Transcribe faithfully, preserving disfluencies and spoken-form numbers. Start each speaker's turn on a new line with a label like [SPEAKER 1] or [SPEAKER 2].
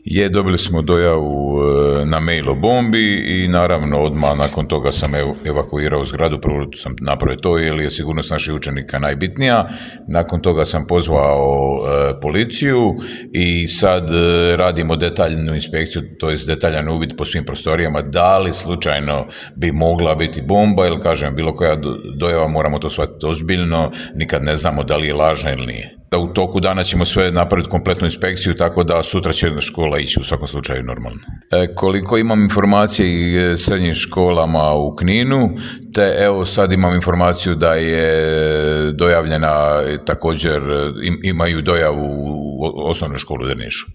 [SPEAKER 1] Je, dobili smo dojavu na mail o bombi i naravno odmah nakon toga sam evakuirao zgradu, prvo sam napravio to jer je sigurnost naših učenika najbitnija, nakon toga sam pozvao e, policiju i sad e, radimo detaljnu inspekciju, to je detaljan uvid po svim prostorijama, da li slučajno bi mogla biti bomba, jer kažem, bilo koja dojava moramo to shvatiti ozbiljno, nikad ne znamo da li je lažna ili nije. U toku dana ćemo sve napraviti kompletnu inspekciju, tako da sutra će škola ići u svakom slučaju normalno. E, koliko imam informacije i srednjim školama u Kninu, te evo sad imam informaciju da je dojavljena također, im, imaju dojavu u osnovnu školu u Drnišu.